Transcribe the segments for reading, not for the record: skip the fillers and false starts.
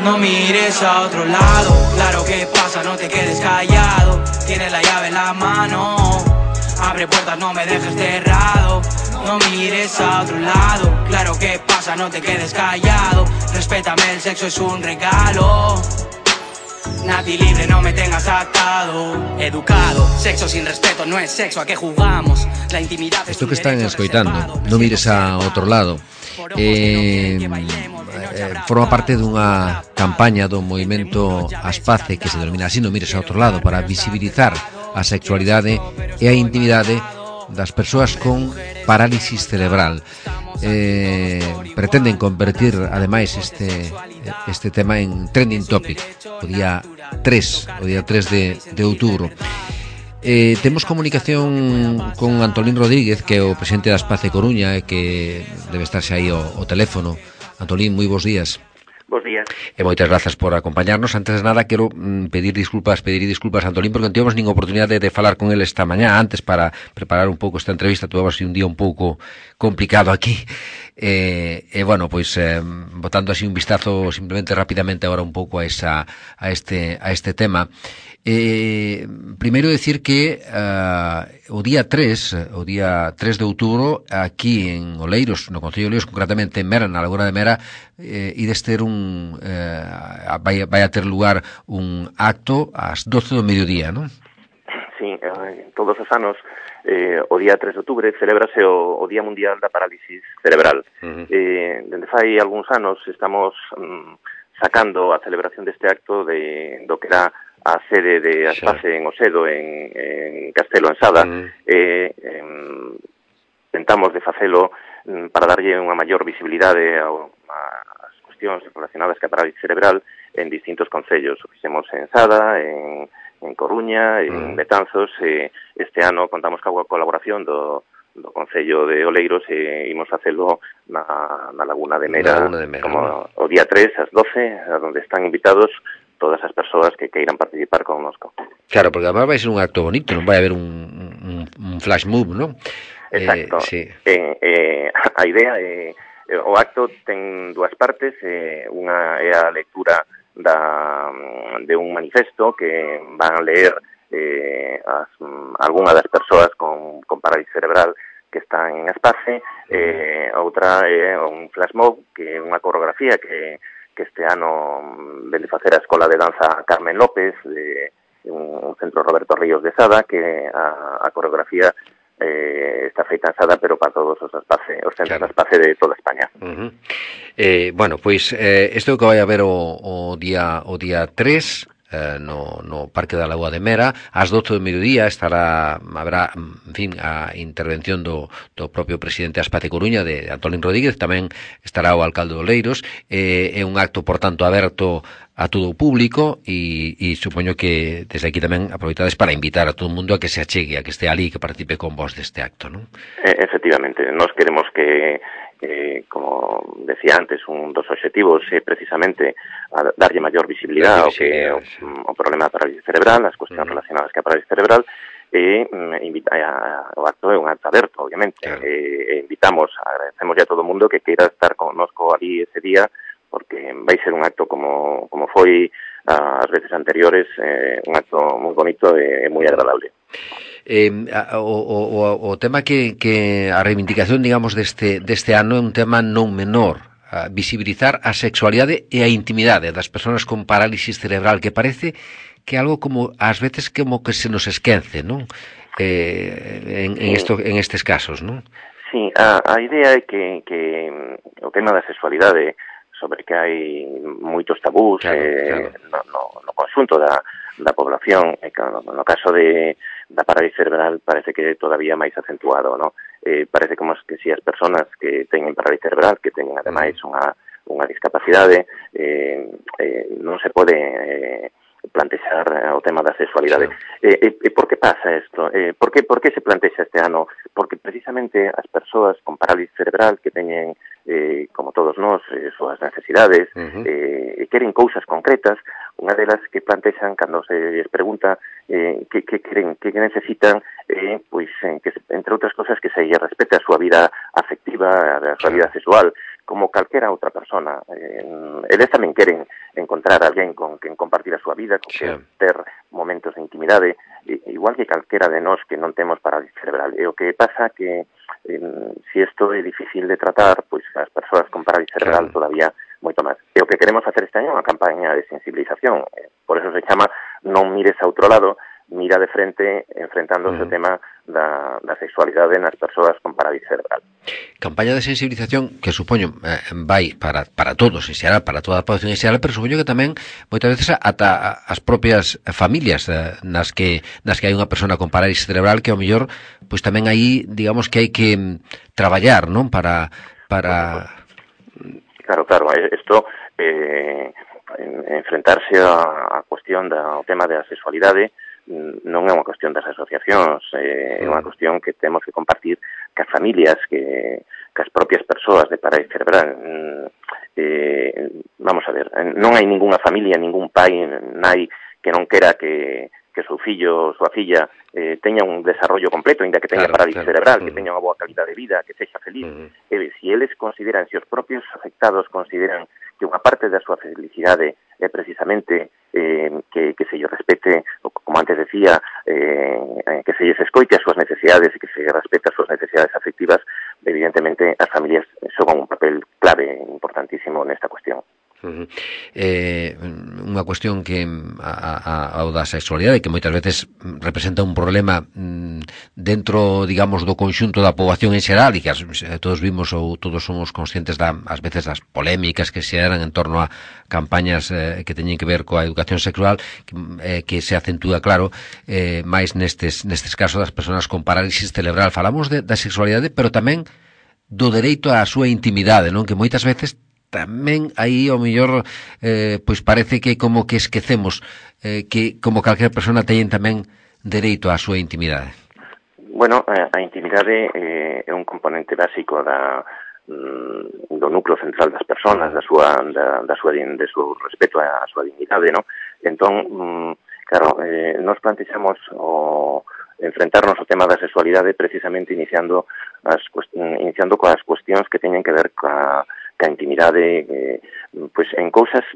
No mires a otro lado, claro que pasa, no te quedes callado. Tienes la llave en la mano, abre puertas, no me dejes cerrado. No mires a otro lado, claro que pasa, no te quedes callado. Respétame, el sexo es un regalo. Nati libre, no me tengas atado. Educado, sexo sin respeto no es sexo, ¿a qué jugamos? La intimidad. Isto que están escoitando, non mires a outro lado, forma parte dunha campaña do movimento Aspace que se denomina así, non mires a outro lado, para visibilizar a sexualidade e a intimidade das persoas con parálisis cerebral. Pretenden convertir ademais este tema en trending topic o día 3 de outubro. Temos comunicación con Antolín Rodríguez, que é o presidente da Aspace Coruña e que debe estarse aí ao teléfono. Antolín, moi bons días. Bos días. E moitas grazas por acompañarnos. Antes de nada, quero pedir disculpas a Antolín, porque non tivemos nin oportunidade de falar con ele esta mañá, antes para preparar un pouco esta entrevista. Tuvemos un día un pouco complicado aquí. Bueno, pois botando así un vistazo simplemente rapidamente agora un pouco a este tema. Primeiro decir que o día 3 de outubro aquí en Oleiros, no Concello de Oleiros, concretamente en Mera, na Laguna de Mera, ides ter vai a ter lugar un acto ás 12 do mediodía, non? Sí, todos os anos o día 3 de outubro celébrase o Día Mundial da Parálisis Cerebral. Dende fai algúns anos estamos sacando a celebración deste acto do que era a sede de Aspace en Osedo, en Castelo, en Sada. Tentamos de facelo para darlle unha maior visibilidade ás cuestións relacionadas ca parálisis cerebral en distintos concellos. O fixemos en Sada, en Coruña, en Betanzos. Este ano contamos coa colaboración do Concello de Oleiros e imos facelo na Laguna de Mera, como o día 3 ás 12, onde están invitados todas as persoas que queiran participar connosco. Claro, porque además vai ser un acto bonito, non vai haber un flash mob, non? Exacto. Sí. A idea é o acto ten dúas partes, unha é a lectura de un manifesto que van a leer algunha das persoas con parálisis cerebral que están en Aspace. Outra é un flash mob, que é unha coreografía que este ano ven de facer a Escola de Danza Carmen López de un centro Roberto Ríos de Sada, que a coreografía está feita en Sada, pero para todos os centros de Aspace de toda España. Bueno, pois isto que vai haber o día 3 no Parque da Lagoa de Mera, ás 12 do mediodía haberá, en fin, a intervención do propio presidente da Aspace Coruña, de Antolín Rodríguez. Tamén estará o alcalde de Oleiros. É un acto, por tanto, aberto a todo o público e supoño que desde aquí tamén aproveitades para invitar a todo o mundo a que se achegue, a que este ali, que participe con vos deste acto, non? Efectivamente, nós queremos que como decía antes, un dos obxectivos é precisamente a darlle maior visibilidade ao que o problema da parálisis cerebral, as cuestións relacionadas ca parálisis cerebral, e o acto é un acto aberto, obviamente. Invitamos, agradecemos a todo o mundo que queira estar connosco ali ese día, porque vai ser un acto como foi as veces anteriores, un acto moi bonito e moi agradable. O tema que a reivindicación, digamos, deste ano é un tema non menor, visibilizar a sexualidade e a intimidade das persoas con parálisis cerebral, que parece que é algo como ás veces como que se nos esquece, non? En estes casos, non? Sí, a idea é que o tema da sexualidade, sobre que hai moitos tabús no conxunto da población, no caso da parálisis cerebral parece que é todavía máis acentuado, non? Parece como que si as persoas que teñen parálisis cerebral, que teñen ademais unha discapacidade, non se pode plantexar o tema da sexualidade. E por que pasa isto? Por que se plantexa este ano? Porque precisamente as persoas con parálisis cerebral que teñen, como todos nós, súas necesidades, e queren cousas concretas, unha delas que plantexan cando se les pregunta que queren, que necesitan, pois, que entre outras cosas que se lle respete a súa vida afectiva, a súa vida sexual, como calquera outra persona. Eles tamén queren encontrar encontrar alguén con quen compartir a súa vida, con quen ter momentos de intimidade, igual que calquera de nós que non temos parálisis cerebral. E o que pasa que se isto é difícil de tratar, pois as persoas con parálisis cerebral todavía moito máis. E o que queremos facer este año é unha campaña de sensibilización. Por eso se chama Non mires a outro lado, mira de frente enfrentándose ao tema da sexualidade nas persoas con parálisis cerebral. Campaña de sensibilización que supoño vai para todos en xeral, para toda a población en xeral, pero supoño que tamén moitas veces ata as propias familias nas que hai unha persona con parálisis cerebral que ao mellor pois tamén aí digamos que hai que traballar, non? Para Claro, isto enfrentarse a cuestión do tema da sexualidade non é unha cuestión das asociacións, é unha cuestión que temos que compartir cas familias, que as propias persoas de parálisis cerebral. Vamos a ver, non hai ningunha familia, ningún pai, nai que non quera que o seu fillo ou súa filla teña un desarrollo completo, ainda que teña parálisis cerebral, que teña unha boa calidad de vida, que sexa feliz. Se eles consideran, se os propios afectados consideran que unha parte da súa felicidade é precisamente que se lle respete, como antes decía, que se lles escoite as súas necesidades e que se respete as súas necesidades afectivas, evidentemente as familias xogan un papel clave, importantísimo nesta cuestión. Unha cuestión que ao da sexualidade que moitas veces representa un problema dentro, digamos, do conxunto da poboación en xeral e que todos vimos ou todos somos conscientes ás veces das polémicas que se eran en torno a campañas que teñen que ver coa educación sexual que se acentúa, claro, máis nestes casos das persoas con parálisis cerebral. Falamos da sexualidade, pero tamén do dereito á súa intimidade, non? Que moitas veces tamén aí ao mellor pois parece que como que esquecemos que como calquera persona teñen tamén dereito á súa intimidade. Bueno, a intimidade é un componente básico do núcleo central das persoas, do seu respeto á súa dignidade, non? Entón, claro, nos plantexamos enfrentarnos ao tema da sexualidade precisamente iniciando coas cuestións que teñen que ver ca intimidade, pois en cousas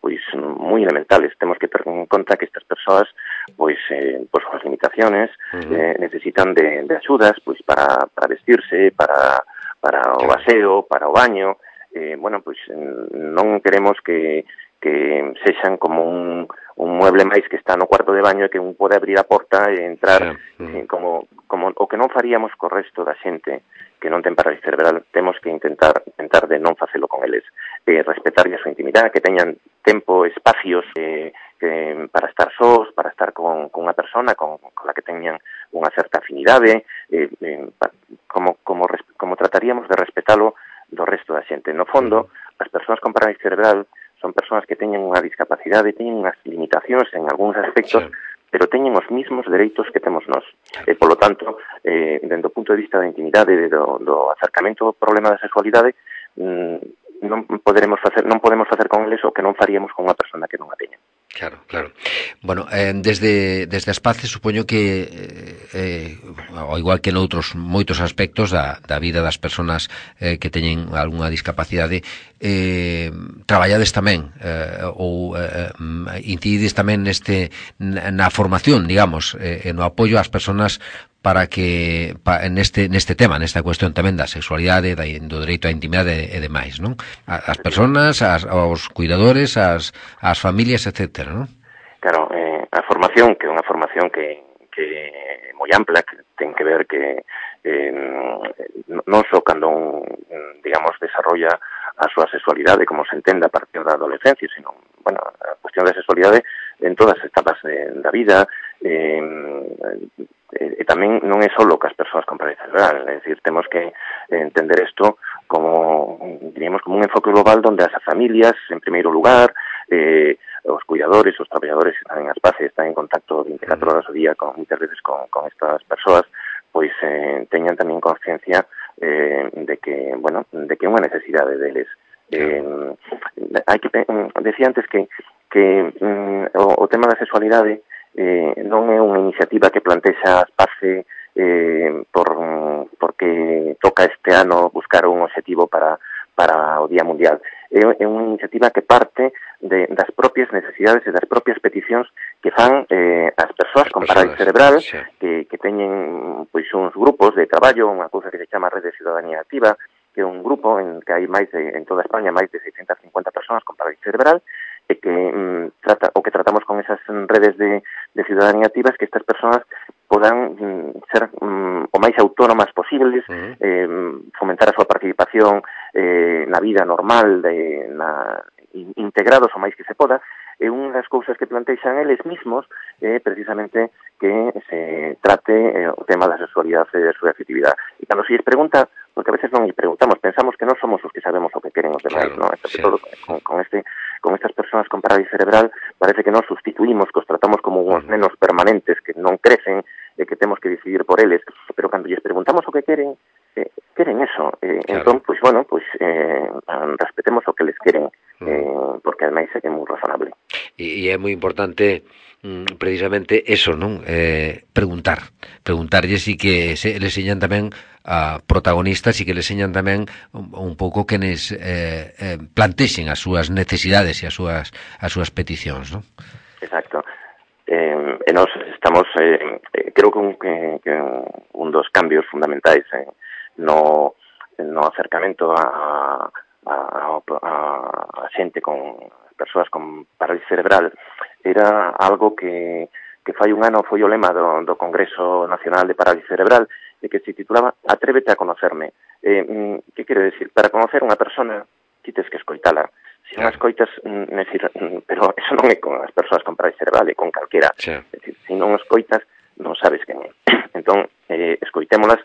pois moi elementales. Temos que ter en conta que estas persoas pois por súas limitaciones necesitan de axudas pois para vestirse, para o aseo, para o baño. Bueno, pois non queremos que sexan como un mueble máis que está no cuarto de baño e que un pode abrir a porta e entrar como o que non faríamos co resto da xente que non ten parálisis cerebral. Temos que intentar de non facelo con eles, respetarlle a súa intimidade, que teñan tempo, espacios para estar sós, para estar con unha persona con la que teñan unha certa afinidade, como trataríamos de respetalo do resto da xente. No fondo, as persoas con parálisis cerebral son persoas que teñen unha discapacidade, teñen unhas limitacións en algúns aspectos, pero teñen os mismos dereitos que temos nós. Polo tanto, dende o punto de vista da intimidade, do acercamento ao problema da sexualidade, non podemos facer con eles o que non faríamos con unha persona que non a teña. Claro. Bueno, desde as Paces supoño que ao igual que noutros moitos aspectos da vida das persoas que teñen algunha discapacidade, traballades tamén ou incidides tamén na formación, digamos, no apoio ás persoas para que neste tema, nesta cuestión tamén da sexualidade, do dereito á intimidade e demais, non? As persoas, aos cuidadores, as familias, etcétera, non? Claro, a formación, que é unha formación que é moi ampla, que ten que ver que non só cando digamos, desarrolla a súa sexualidade como se entenda a partir da adolescencia, sino, bueno, a cuestión da sexualidade en todas as etapas da vida, e tamén non é só cas persoas con parálisis cerebral, é dicir, temos que entender isto como, diríamos, como un enfoque global onde as familias, en primeiro lugar, os cuidadores, os traballadores que están en as Paces, están en contacto 24 horas ao día moitas veces con estas persoas, pois teñan tamén consciencia de que, bueno, de que é unha necesidade deles. Hai que decía antes que o tema da sexualidade non é unha iniciativa que plantexa as Paces porque toca este ano buscar un obxectivo para o Día Mundial. é unha iniciativa que parte das propias necesidades e das propias peticións que fan as persoas con parálisis cerebral, que teñen pois uns grupos de traballo, unha cousa que se chama Rede de Ciudadanía Activa, que é un grupo en que hai en toda España máis de 650 persoas con parálisis cerebral, e que o que tratamos con esas redes de ciudadanía activas, que estas persoas podan ser o máis autónomas posibles, fomentar a súa participación na vida normal, integrados o máis que se poda. E unha das cousas que plantexan eles mismos é precisamente que se trate o tema da sexualidade e da súa afectividade. E cando se lles pregunta, porque a veces non lles preguntamos, pensamos que non somos os que sabemos o que queren os demais, non? Sobre todo con estas persoas con parálisis cerebral parece que non sustituímos, que os tratamos como uns nenos permanentes que non crecen e que temos que decidir por eles, pero cando lles preguntamos o que queren, queren eso. Entón, pois, bueno, respetemos o que les queren, porque ademais é moi razonable. E é moi importante precisamente eso, non? Preguntarlles e que les señan tamén a protagonistas e que les señan tamén un pouco que les plantexen as súas necesidades e as súas peticións, non? Exacto. E nós estamos, creo que un dos cambios fundamentais no acercamento a xente con persoas con parálisis cerebral era algo que fai un ano foi o lema do Congreso Nacional de Parálisis Cerebral, e que se titulaba Atrévete a conocerme. Que quero decir? Para conocer unha persona ti tes que escoitala. Se non escoitas, pero eso non é con as persoas con parálisis cerebral, é con calquera. É dicir, se non escoitas, non sabes quen é. Entón, escoitémolas,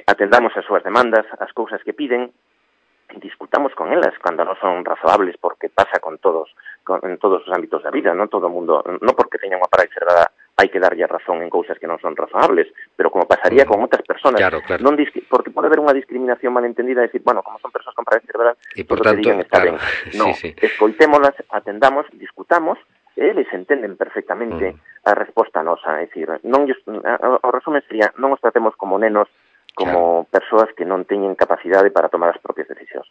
atendamos as súas demandas, as cousas que piden, discutamos con elas cando non son razoables, porque pasa en todos os ámbitos da vida, non todo o mundo, non porque teña unha parálisis cerebral hai que darlle razón en cousas que non son razoables, pero como pasaría con outras persoas, non porque pode haber unha discriminación malentendida, decir, bueno, como son persoas con parálisis cerebral, e por tanto, que digan está ben. Non, escoitémolas, atendamos, discutamos, e eles entenden perfectamente a resposta nosa, é dicir, o resumen sería, non os tratemos como nenos, como persoas que non teñen capacidade para tomar as propias decisións.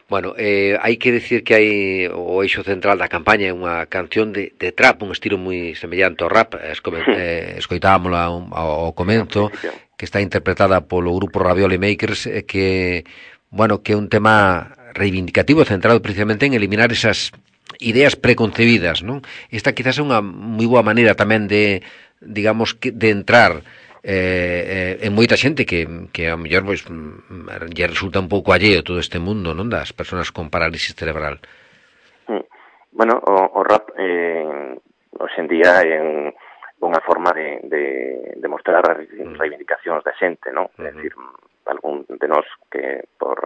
Bueno, hai que decir que hai o eixo central da campaña é unha canción de trap, un estilo moi semellante ao rap, escoitámola ao comenzo, que está interpretada polo grupo Ravioli Makers, que é un tema reivindicativo, centrado precisamente en eliminar esas ideas preconcebidas, non? Esta quizás é unha moi boa maneira tamén de, digamos, de entrar en moita xente que ao mellor lle resulta un pouco alleo todo este mundo, non, das persoas con parálisis cerebral. Bueno, o rap hoxe en día é unha forma de mostrar as reivindicacións da xente, non? É dicir, algún de nós que por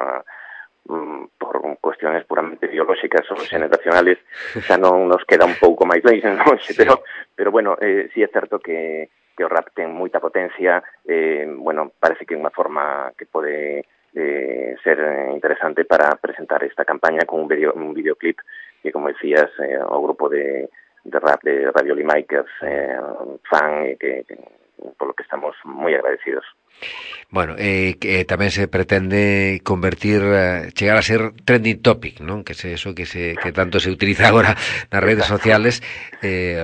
cuestiones puramente biolóxicas ou generacionales xa non nos queda un pouco máis longe, non? Pero bueno, sí é certo que o rap ten moita potencia, parece que é unha forma que pode ser interesante para presentar esta campaña con un videoclip que, como decías, o grupo de rap de Ravioli Makers fan, que polo que estamos moi agradecidos. Bueno, que tamén se pretende convertir, chegar a ser trending topic, non? Que é eso que tanto se utiliza agora nas redes sociales.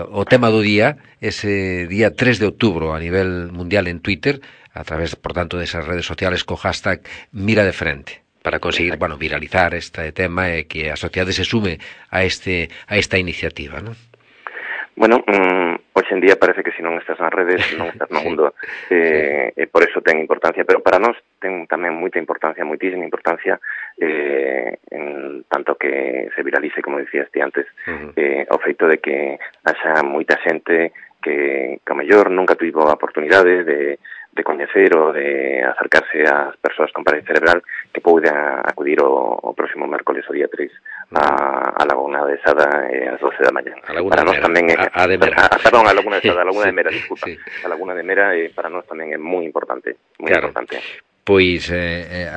O tema do día, ese día 3 de outubro a nivel mundial en Twitter, a través, por tanto, desas redes sociales co hashtag Mira de Frente, para conseguir, viralizar este tema e que a sociedade se sume a esta iniciativa, non? Bueno, hoxe en día parece que se non estás nas redes, non estás no mundo, e por eso ten importancia, pero para nós ten tamén moitísima importancia, en tanto que se viralice, como dicías ti antes, o feito de que haxa moita xente que ao mellor nunca tivo a oportunidade de coñecer ou de acercarse ás persoas con parálisis cerebral, que poida acudir o próximo mércoles, o día 3, a Laguna de Sada ás 12 da mañá. Para nós tamén é a de Mera. Perdón, a Laguna de Sada, a Laguna de Mera, disculpa. A Laguna de Mera para nós tamén é moi importante, moi importante. Pois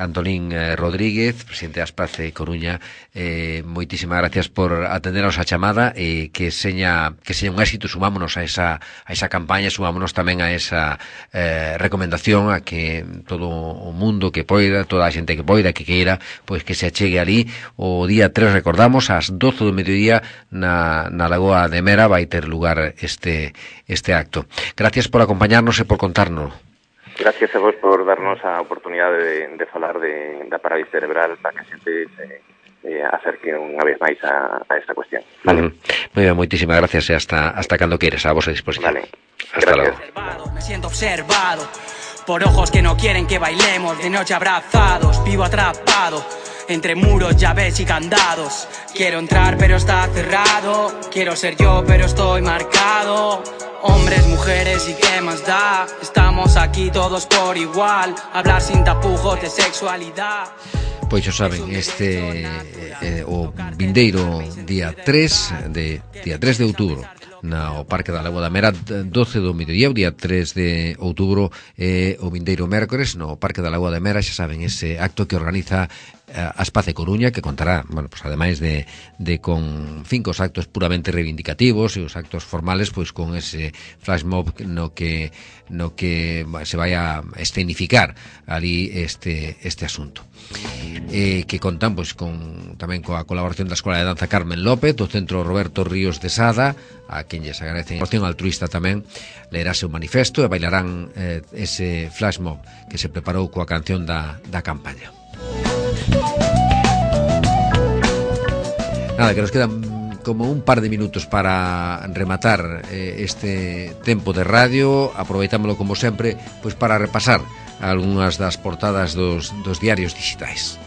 Antolín Rodríguez, presidente da Aspace Coruña, moitísimas gracias por atendernos a chamada e que seña un éxito. Sumámonos a esa campaña, sumámonos tamén a esa recomendación a que todo o mundo que poida, toda a xente que poida, que queira, pois que se achegue ali o día 3, recordamos, ás 12 do mediodía na Lagoa de Mera vai ter lugar este acto. Gracias por acompañarnos e por contarnos. Gracias a vos por darnos a oportunidade de falar da parálisis cerebral para que a xente se acerque unha vez máis a esta cuestión. Vale. Moi ben, moitísimas gracias e hasta cando queres, a vosa disposición. Vale. Hasta logo. Me siento observado por ojos que no quieren que bailemos de noche abrazados, vivo atrapado entre muros, llaves y candados. Quiero entrar pero está cerrado, quiero ser yo pero estoy marcado. Hombres, mujeres y qué más da, estamos aquí todos por igual, hablar sin tapujos de sexualidad. Pois xa saben, o vindeiro día 3 de outubro no Parque da Lagoa da Mera, 12 do mediodía, o día 3 de outubro, o vindeiro mércores no Parque da Lagoa da Mera, xa saben, ese acto que organiza Aspace Coruña, que contará, bueno, pues ademais de con 5 actos puramente reivindicativos e os actos formales, pois con ese flash mob no que se vai a escenificar ali este asunto. Que contan pois tamén coa colaboración da Escola de Danza Carmen López, do Centro Roberto Ríos de Sada, a quen lles agradecen a opción altruista tamén. Leerase o manifesto e bailarán ese flash mob que se preparou coa canción da campaña. Nada, que nos quedan como un par de minutos para rematar este tempo de radio. Aproveitámoslo como sempre pois para repasar algunhas das portadas dos diarios digitais.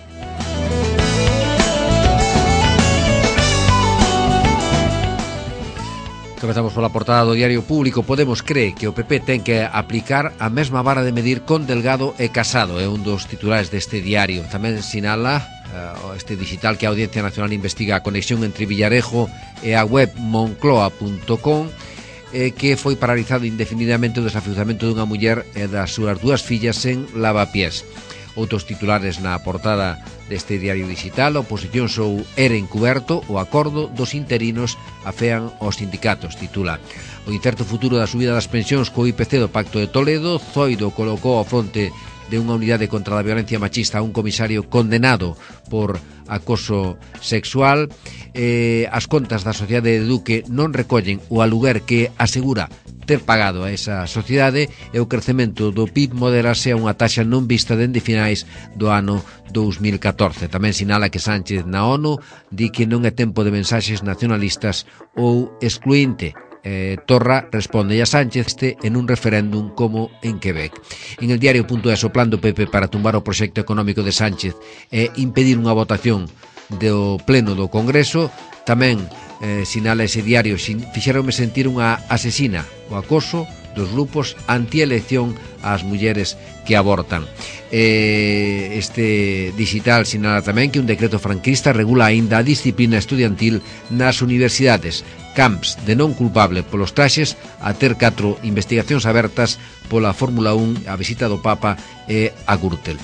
Comezamos pola portada do Diario Público. Podemos cree que o PP ten que aplicar a mesma vara de medir con Delgado e Casado. É un dos titulares deste diario. Tamén sinala este digital que a Audiencia Nacional investiga a conexión entre Villarejo e a web moncloa.com, que foi paralizado indefinidamente o desafiuzamento dunha muller e das súas 2 fillas en Lavapiés. Outros titulares na portada deste diario digital: a oposición sou era encuberto, o acordo dos interinos afean aos sindicatos, titula. O incerto futuro da subida das pensións co IPC do Pacto de Toledo. Zoido colocou ao fronte de unha unidade contra a violencia machista a un comisario condenado por acoso sexual. As contas da sociedade de Duque non recollen o aluguer que asegura ter pagado a esa sociedade, e o crecemento do PIB moderase a unha taxa non vista dende finais do ano 2014. Tamén sinala que Sánchez na ONU di que non é tempo de mensaxes nacionalistas ou excluinte. Torra responde a Sánchez en un referéndum como en Quebec. En el diario.es, o plan do PP para tumbar o proxecto económico de Sánchez e impedir unha votación do pleno do Congreso. Tamén sinala ese diario: fixéronme sentir unha asesina, o acoso dos grupos antielección ás mulleres que abortan. Este digital sinala tamén que un decreto franquista regula aínda a disciplina estudiantil nas universidades. Camps de non culpable polos traxes a ter 4 investigacións abertas pola Fórmula 1, a visita do Papa e a Gürtel.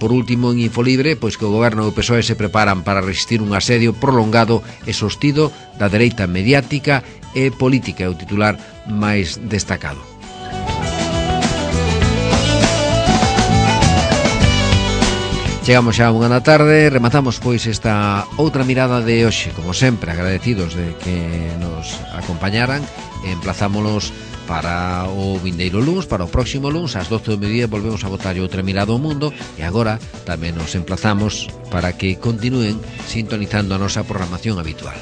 Por último, en Infolibre, pois que o goberno e o PSOE se preparan para resistir un asedio prolongado e sostido da dereita mediática e política, é o titular máis destacado. Chegamos xa a 1 da tarde, rematamos pois esta outra mirada de hoxe, como sempre, agradecidos de que nos acompañaran. Emplazámonos para o vindeiro luns, para o próximo luns, ás 12 do mediodía volvemos a botar outra mirada ao mundo, e agora tamén nos emplazamos para que continúen sintonizando a nosa programación habitual.